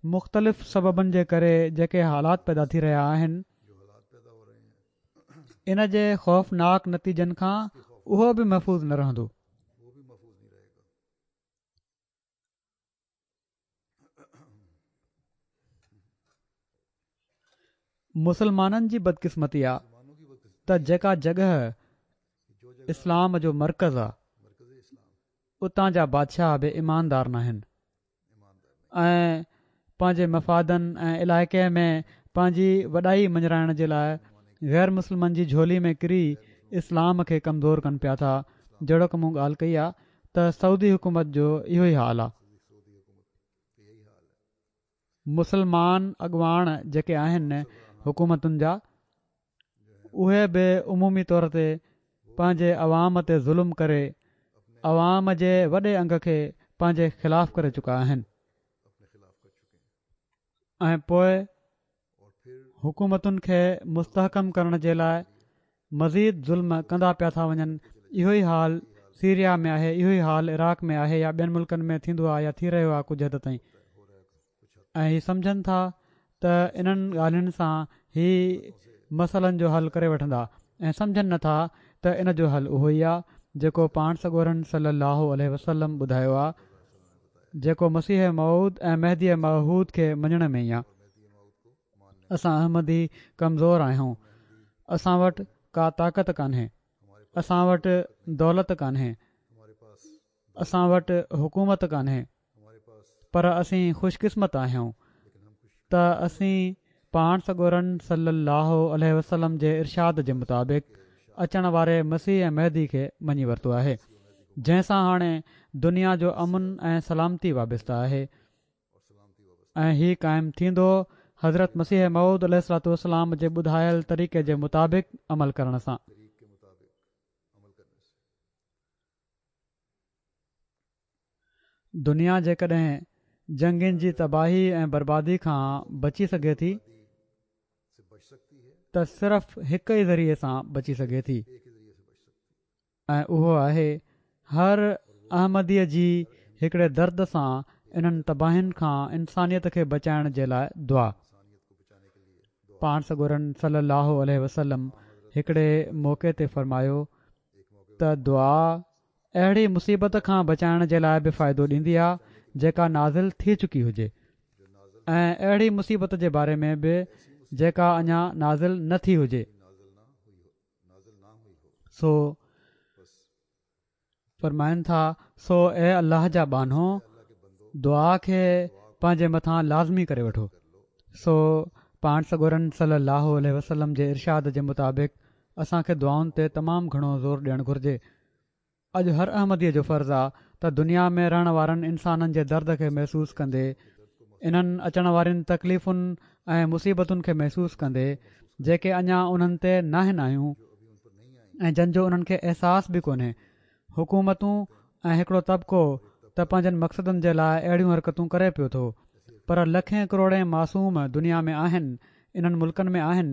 [SPEAKER 2] مختلف سببن جي ڪري جيڪي حالات پيدا ٿي رهيا آهن ان جي خوفناڪ نتيجن کان اهو به محفوظ نه رهندو. مسلمانن جي بدقسمتي آ ته جيڪا جڳهه اسلام جو مرڪز آ اتان جا بادشاهه به ايماندار ناهن ۽ پنهنجي مفادن ۽ علائقي ۾ پنهنجي وڏائي مڃرائڻ جي لاء غير مسلمن جي جهولي ۾ ڪري اسلام کي ڪمزور ڪن پيا ٿا. جهڙوڪ مون ڳالهه ڪئي آ ته سعودي حڪومت جو اهو ئي حال آ. مسلمان اڳواڻ جيڪي آهن حڪومتن جا اهي به عمومي طور تي پنهنجي عوام تي ظلم ڪري عوام جي وڏي انگ کي پنهنجي خلاف ڪري چڪا آهن ۽ پوء حڪومتن کي مستحڪم ڪرڻ جي لاء مزيد ظلم ڪندا پيا ٿا وڃن. اهو ئي حال سيريا ۾ آهي، اهو ئي حال عراق ۾ آهي يا ٻين ملڪن ۾ ٿيندو آهي يا ٿي رهيو آهي ڪجهه حد تائين ۽ هي سمجهن ٿا ته انهن ڳالهين سان هي مسئلن جو حل ڪري وٺندا ۽ سمجهن نه ٿا ته ان جو حل اهو ئي آهي جيڪو پاڻ سڳورن صلي الله عليه وسلم ٻڌايو آهي جيڪو مسيح موعود ۽ مهدي معهود کي مڃڻ ۾ ئي آهي. اسان احمدي ڪمزور آهيون، اسان وٽ ڪا طاقت ڪانهي، اسان وٽ دولت ڪانهي، اسان وٽ حڪومت ڪانهي، پر اسين خوش قسمت آهيون ته اسين پاڻ سڳورن صلي الله عليه وسلم جي ارشاد جي مطابق اچڻ واري مسيح ۽ مهدي کي مڃي ورتو آهي. جنهن سان هاڻي دنيا جو امن ۽ سلامتي وابسته آهي ۽ هي قائم ٿيندو حضرت مسيح موعود عليه الصلوة والسلام جي ٻڌايل طريقي جي مطابق عمل ڪرڻ سان. دنيا جيڪڏهن جنگين جي تباهي ۽ بربادي کان بچي سگهي ٿي ته صرف هڪ ئي ذريعي سان بچي سگهي ٿي ۽ اهو آهي هر احمديء جي هڪڙي درد سان انهن تباهين کان انسانيت کي بچائڻ جي لاء دعا. پاڻ سڳورن صلي الله عليه وسلم هڪڙي موقعي تي فرمايو ته دعا اهڙي مصيبت کان بچائڻ جي لاء به فائدو ڏيندي آ جيڪا نازل ٿي چڪي هجي ۽ اهڙي مصيبت جي باري ۾ به جيڪا اڃا نازل نه ٿي هجي. سو فرمائن ٿا، سو اي الله جا ٻانهو دعا کي پنهنجي مٿان لازمي ڪري وٺو. سو پاڻ سڳورن صلي الله عليه وسلم جي ارشاد جي مطابق اسان کي دعائن تي تمام گهڻو زور ڏيڻ گهرجي. اڄ هر احمديء جو فرض آ ته دنيا ۾ رهڻ وارن انسانن جي درد کي محسوس ڪندي، انهن اچڻ وارين تڪليفن ۽ مصيبتن کي محسوس ڪندي، جيڪي اڃا انهن تي ناهن آيون ۽ جن جو انهن کي احساس به ڪونهي. حڪومتون ۽ هڪڙو طبقو ته پنهنجن مقصدن جي لاء اهڙيون حرڪتون ڪري پيو ٿو، پر لکين ڪروڙين معصوم دنيا ۾ آهن، انهن ملڪن ۾ آهن،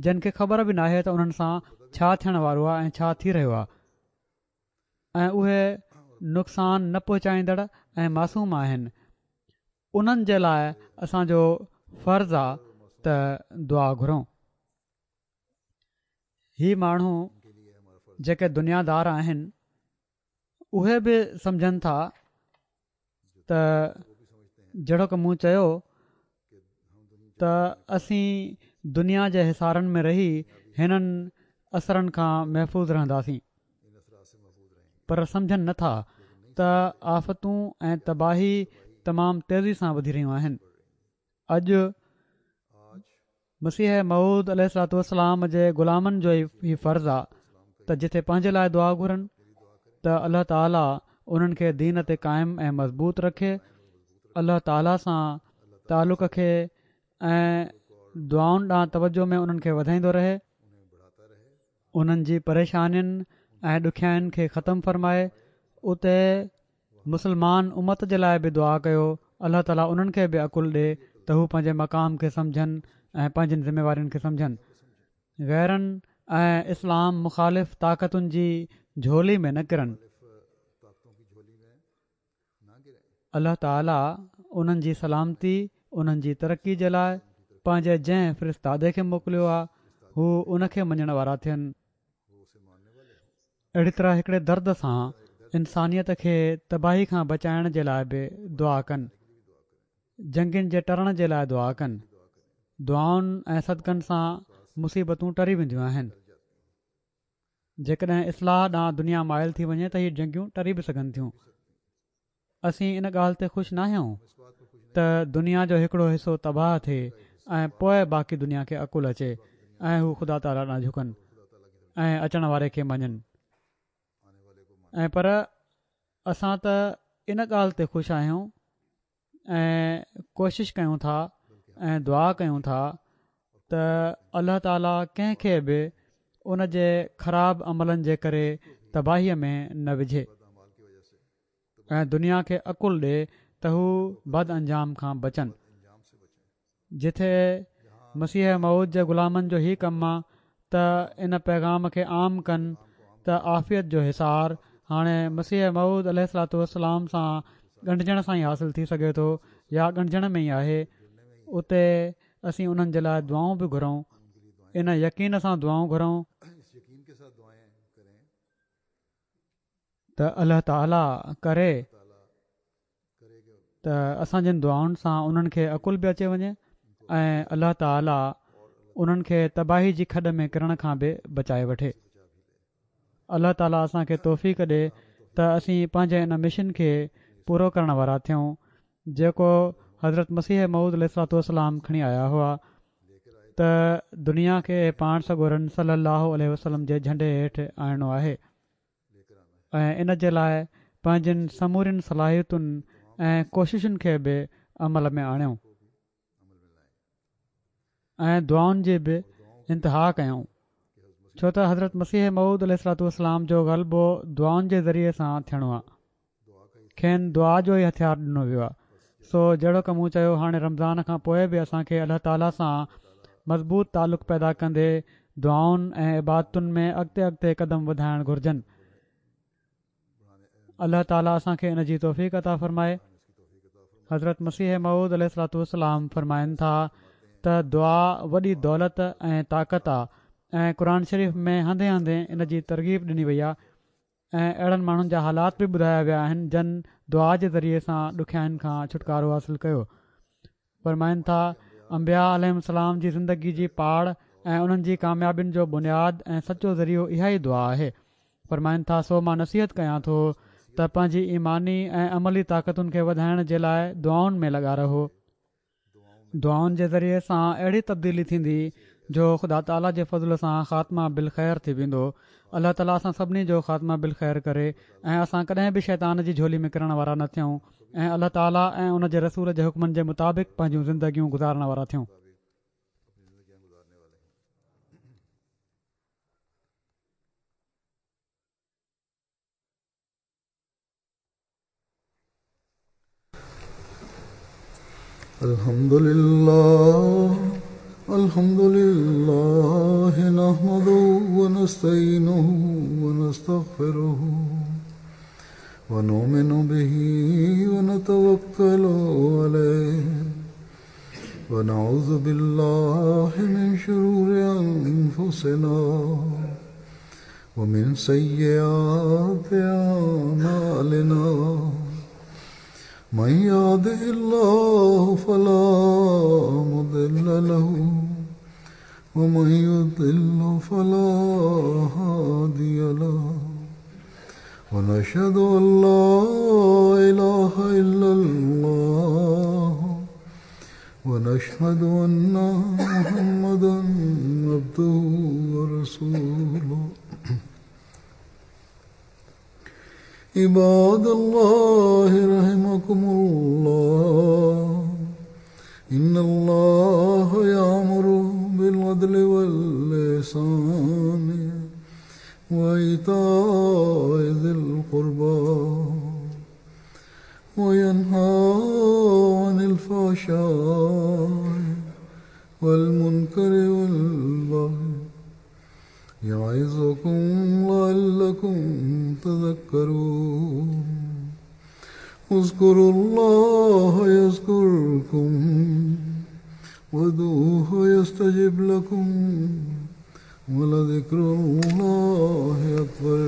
[SPEAKER 2] جن کي خبر به ناهي ته انهن سان ڇا ٿيڻ وارو آ ۽ ڇا ٿي رهيو آ. ۽ اهي نقصان نه پهچائيندڙ ۽ معصوم آهن، انهن جي لاء اسان جو فرض آ ته دعا گهرون. هي ماڻهو جيڪي دنيا دار آهن اهي به سمجهن ٿا ته جهڙوڪ مون چيو ته اسين دنيا جي حصارن ۾ رهي هنن اثرن کان محفوظ رهنداسين. پر سمجهن نه ٿا ته آفتون ۽ تباهي تمام تيزي سان وڌي رهيون آهن. اڄ مسيح موعود عليه الصلوة والسلام جي غلامن جو هي فرض آ ته جٿي پنهنجي لاء دعا گهرن ته الله تعالي انهن کي دين تي قائم ۽ مضبوط رکي، الله تعالي سان تعلق کي ۽ دعائن ڏانهن توجه ۾ انهن کي وڌائيندو رهي، انهن جي پريشانين ۽ ڏکيائين کي ختم فرمائي، اتي مسلمان امت جي لاء به دعا ڪيو، الله تعالي انهن کي به عقل ڏي ته هو پنهنجي مقام کي سمجهن ۽ پنهنجين ذميوارين کي سمجهن، غيرن ۽ اسلام مخالف طاقتن جي جهولي ۾ نه ڪرن. الله تعالي انهن جي سلامتي، انهن جي ترقي جي لاء پنهنجي جنهن فرستادي کي موڪليو آهي هو ان کي مڃڻ وارا ٿين. اهڙي طرح هڪڙي درد سان انسانيت کي تباهي کان بچائڻ جي لاء به دعا ڪن. جنگين جي ٽرڻ جي لاء دعا ڪن. دعائن ۽ صدقن سان مصيبتون ٽري وينديون آهن. جيڪڏهن اصلاح ڏانهن دنيا مائل ٿي وڃي ته هي جنگيون ٽري به سگهن ٿيون. اسين ان ڳالهه تي خوش ناهيون ته دنيا جو هڪڙو حصو تباهه ٿئي ۽ پوء باقي دنيا کي عقل اچي ۽ هو خدا تعاليٰ ڏانهن جهڪن ۽ اچڻ واري کي مڃن ۽ پر اسان ته ان ڳالهه تي خوش آهيون ۽ ڪوشش ڪيون ٿا ۽ دعا ڪيون ٿا ته الله تعاليٰ ڪنهن کي به ان جي خراب عملن جي ڪري تباهيء ۾ نه وجهي ۽ دنيا کي عقل ڏي ته هو بد انجام کان بچن. جٿي مسيح موعود جي غلامن جو هي ڪم آ ته ان پيغام کي عام ڪن ته عافيت جو حصار هاڻي مسيح موعود عليه الصلوة والسلام سان ڳنڍجڻ سان ئي حاصل ٿي سگهي ٿو يا ڳنڍجڻ ۾ ئي آهي اتي اسين انهن جي لاء دعائون به گهرون ان يقين سان دعائون گهرون ته الله تعالي ڪري ته اسان جن دعائن سان انهن کي عقل به اچي وڃي ۽ الله تعالي انهن کي تباهي جي کڏ ۾ ڪرڻ کان به بچائي وٺي. الله تعالي اسان کي توفيق ڏي ته اسين پنهنجي ان مشن کي پورو ڪرڻ وارا ٿيون جيڪو حضرت مسيح موعود عليه الصلوة والسلام کڻي آيا هئا ته دنيا کي پاڻ سڳورن صلي الله عليه وسلم جي جهنڊي هيٺ آڻڻو آهي. ۽ ان جي لاء پنهنجين سمورين صلاحيتن ۽ ڪوششن کي به عمل ۾ آڻيو ۽ دعائن جي به انتها ڪيائون، ڇو ته حضرت مسيح موعود عليه الصلوة والسلام جو غلبو دعائن جي ذريعي سان ٿيڻو آهي. کين دعا جو ئي هٿيار ڏنو ويو آهي. سو جهڙوڪ مون چيو هاڻي رمضان کان پوء به اسان کي الله تعاليٰ سان مضبوط تعلق پيدا ڪندي دعائن ۽ عبادتن ۾ اڳتي اڳتي قدم وڌائڻ گهرجن. الله تعاليٰ اسان کي ان جي توفيق عطا فرمائي. حضرت مسيح موعود عليه الصلوة والسلام فرمائن ٿا ته دعا وڏي دولت ۽ طاقت آ ۽ قرآن شريف ۾ هنڌين هنڌين ان جي ترغيب ڏني وئي آ ۽ اهڙن ماڻهن جا حالات به ٻڌايا ويا آهن جن دعا جي ذريعي سان ڏکيائين کان ڇوٽڪارو حاصل ڪيو. فرمائن ٿا انبياء عليهم السلام جي زندگي جي پاڙ ۽ انهن جي ڪاميابين جو بنياد ۽ سچو ذريعو اها ئي دعا آهي. فرمائن ٿا سو مان نصيحت ڪيان ٿو ته پنهنجي ايماني ۽ عملي طاقتن کي وڌائڻ جي لاء دعائن ۾ لڳا رهو. دعائن جي ذريعي سان اهڙي تبديلي ٿيندي جو خدا تعاليٰ جي فضل سان خاتمه بالخير ٿي ويندو. الله تعاليٰ اسان سڀني جو خاتمه بالخير ڪري ۽ اسان ڪڏهن به شيطان جي جهولي ۾ ڪرڻ وارا نه ٿيون ۽ الله تعاليٰ ۽ ان جي رسول جي حڪمن جي مطابق پنهنجون زندگيون گذارڻ وارا ٿيون.
[SPEAKER 1] الحمد لله الحمد لله نحمده ونستعينه ونستغفره ونؤمن به ونتوكل عليه ونعوذ بالله من شرور أنفسنا ومن سيئات أعمالنا من يهده الله فلا مضل له ومن يضلل فلا هادي له ونشهد أن لا إله إلا الله ونشهد أن محمدا عبده ورسوله. عباد الله رحمكم الله، إن الله يأمر بالعدل والإحسان وإيتاء ذي القربى وينهى عن الفحشاء والمنكر والبغي يعظكم لعلكم تذكرون. اذكروا الله يذكركم وادعوه يستجب لكم ولذكر الله أكبر.